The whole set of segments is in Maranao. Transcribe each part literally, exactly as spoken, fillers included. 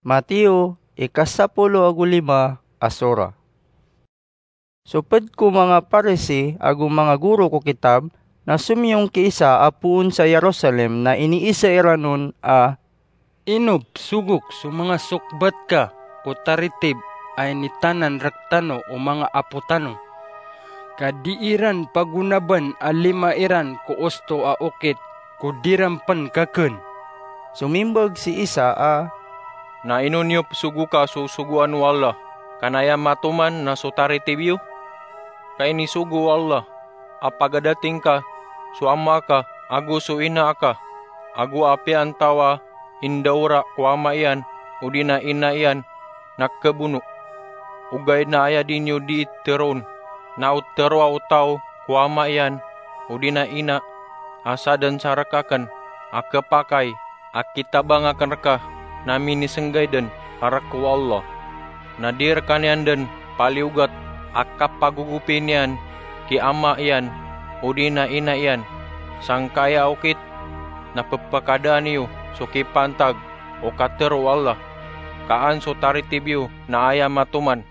Mateo, ika sapolo ago lima a sura. So ped ko manga Parisi ago manga goro ko kitab na somiyong ki isa a poon sa Jerusalem na iniisa iran on a, "Ino pzogok so manga sokbat ka ko taritib a initanan rektano o manga apo tano, ka di iran pagonaban a lima iran ko osto a okit ko di ran pen kakn?" Somimbag si isa a, "Na ino niyo pzogoka so sogoan o Allah, ka na aya matoman na so taritib iyo? Ka inisogo o Allah a pagadating ka, so ama ka, ago so ina ka, ago a apiya antaa a indaora ko ama iyan odi na ina iyan na kabono. Ogaid na aya di niyo dii teroon na o teroa o taw ko ama iyan odi na ina a sadn sa rek aken a kepakay a kitabang aken reka na minisenggay den a rek o Allah. Na di rekaniyan den paliyogat a kapagogopi niyan ki ama iyan odi na ina iyan, sangkaya a okit na pepakadaan iyo so kipantag o katero o Allah, ka an so taritib iyo na aya matoman.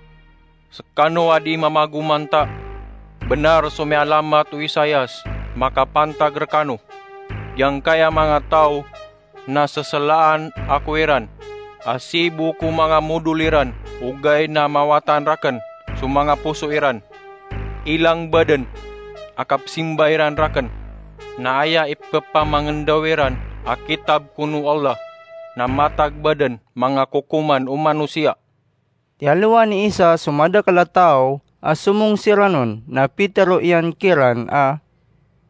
Sekano a di mamagomanta, benar so mialamat o Isaias makapantag rekano, giyangkaya manga taw na seselaan ako iran, a sii bo ko manga modol iran, ogaid na mawatan raken so manga poso iran. Ilang baden a kapsimba iran raken, na aya ipepamangendaw iran a kitab kon o Allah na matag baden manga kokoman o manosiya." Tiyalowan i Isa so madakel a taw a somong siran on na pitero iyan kiran a,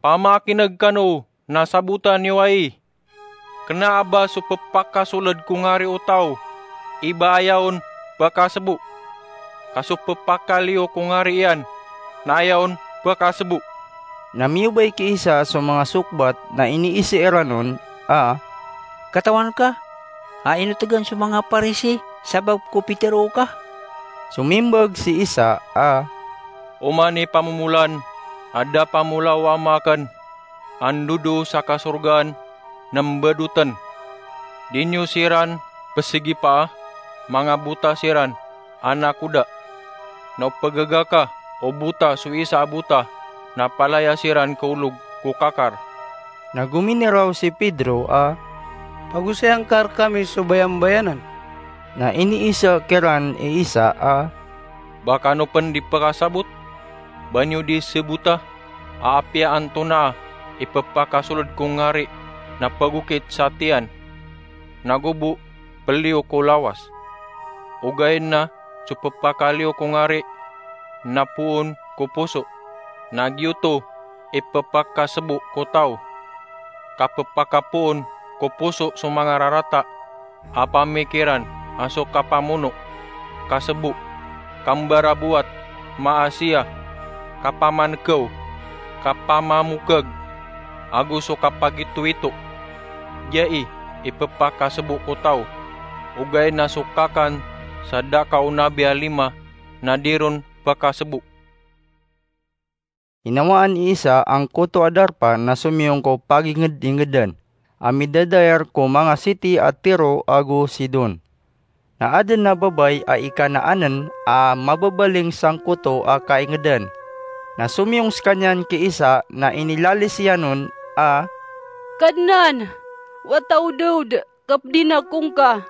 "Pamakineg kano na sabotan iyo ai. Kena a ba so pepakasoled ko ngari o taw, i ba aya on pekasebo, ka so pepakaliyo ko ngari iyan, na aya on pekasebo?" Na miyobay ki Isa so manga sokbat na iniisa iran on a, "Katawan ka a inotegan so manga Parisi sabap ko pitero ka?" Somimbag si Isa a, "Oman i pamomolan a da pamolao o Ama aken a ndodo sa kasorgaan na mbadoten. Di niyo siran pesigipaa, manga bota siran a nakoda. Na o pegaga ka o bota so isa a bota na palaya siran ko olog ko kakar." Na gominiraw si Pedro a, "Pagosayan ka rekami so bayambayanan." Na iniisa kiran i Isa a, "Ba kano pen di pekasabot? Ba niyo di sebota a apiya antonaa i pepakasoled ko ngari na pagokit sa tiyan, nago bo peliyo ko lawas? Ogaid na so pepakaliyo ko ngari na poon ko poso, na giyoto i pepakasebo ko taw. Ka pepakapoon ko poso so manga rarata a pamikiran a so kapamono, kasebo, kambarabowat, maasiya, kapamanekew, kapamamokeg, ago so kapagitoito. Giya i ipepakasebo ko taw, ogaid na so kakan sa da ka o nabi a lima na di ron pekasebo." Inawaan i Isa angkoto a darpa na somiyong ko paginged-ingedan a midadayar ko manga siti a Tiro ago Sidon. Na aden a babay a ikanaanen a mababaling sangkoto a kaingedan. Na somiyong sekaniyan ki Isa na inilalis iyan on a, "Kadnan, wata o Dawod, kapedin ako ngka.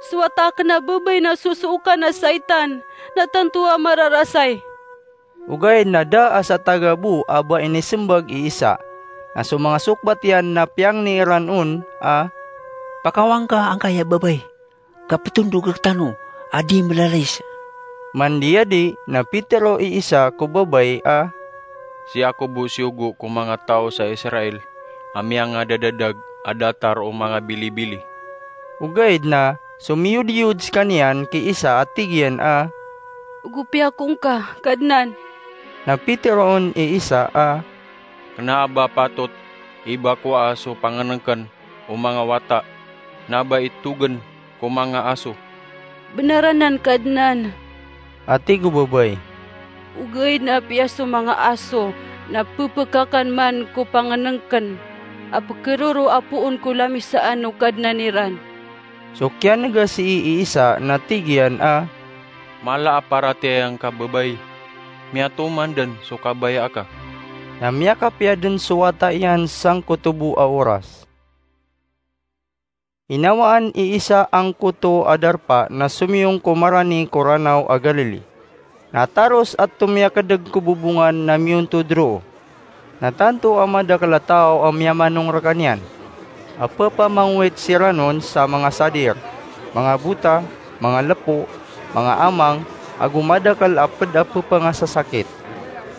So wata aken a babay na sosookan a saitan, na tanto a mararasay." Ogaid na da a sa taga bo a ba inisembag i Isa. Na so manga sokbat iyan na piyangni iran on a, "Pakawang ka angkaya babay, ka petondog rektano a di melalis." Mandiyadi na pitero i Isa ko babay a, "Sii ako bo siyogo ko manga taw sa Israel a miyangadadadag a datar o manga bilibili." Ogaid na somiyodiyod sekaniyan ki Isa a tig iyan a, "Ogopi ako ngka, Kadnan." Na pitero on i Isa a, "Kena a ba patot i bakoa so pangenengken o manga wata, na ba itogen ko manga aso?" "Benar anan, Kadnan," a tig o babay. "Ogaid na apiya so manga aso na pepekakan man ko pangenengken a pekeroro a poon ko lamisaan o kadnan iran." So kiyanegas i Isa na tig iyan a, "Mala a paratiyaya ngka babay, miyatoman den so kabaya aka." Na miyakapiya den so wata iyan sangkoto bo a oras. Inawaan i Isa angkoto a darpa na somiyong ko marani ko Ranaw a Galili. Na taros a tomiyakedeg ko bobongan na miyontod roo. Na tanto a madakel a taw a miyamanong rekaniyan, a pepamangowit siran on sa manga sadir, manga bota, manga lepo, manga amang, ago madakel a ped a pepengasasakit.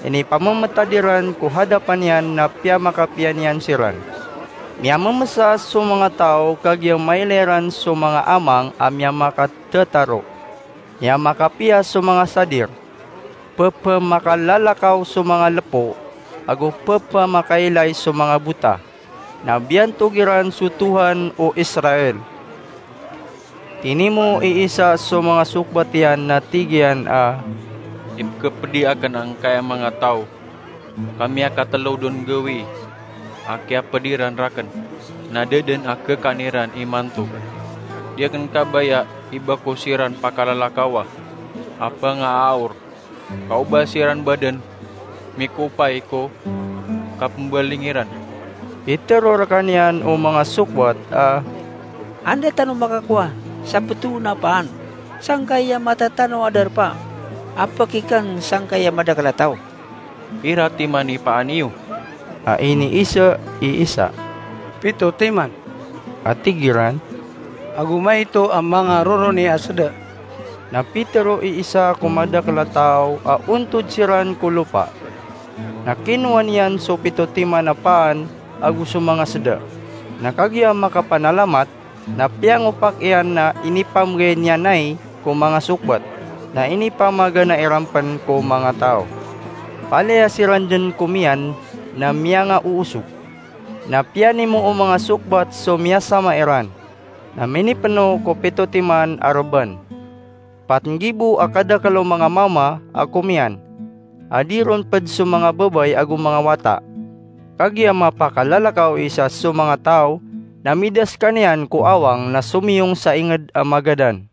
Inipamemetad iran ko hadapan iyan na piyamakapiya niyan siran. Miyamemesa so manga taw, kagiya mailay ran so manga amang a miyamakatetaro. Miyamakapiya so manga sadir, pepemakalalakaw so manga lepo, ago pepemakailay so manga bota. Na biyantog iran so Tohan o Israel. Tinimo i Isa so manga sokbat iyan na tig iyan a, "Ipekepedi aken angkaya manga taw, ka miyakatelo den gawii a kiyapedi ran raken, na da den a kekaan iran imanto. Di aken kabaya i ba ko siran pakalalakawa a pengaaor, ka o ba siran ba den mikopay ko kapembaling iran." Pitero rekaniyan o manga sokbat a, "Anda tano makakowa sa petoon a paan sangkaya mata tano a darpa a pekiken sangkaya madakel a taw?" "Pira timan i paan iyo?" a iniisa i Isa. "Pito timan," a tig iran, "ago maito a manga roroni a seda." Na pitero i Isa ko madakel a taw a ontod siran ko lopa. Na kinowa niyan so pito timan a paan ago so manga seda. Na kagiya makapanalamat, na piyangopak iyan na inipamgay niyan ai ko manga sokbat, na inipamagana iran pen ko manga taw. Palaya siran den komiyan na miyangaoosog. Na piyanimo o manga sokbat so miyasama iran, na minipeno ko pito timan a reban. Pat nggibo a kadakel o manga mama a komiyan, a di ron ped so manga babay ago manga wata. Kagiya mapakalalakaw i Isa so manga taw, na mida sekaniyan ko awang na somiyong sa inged a magadan.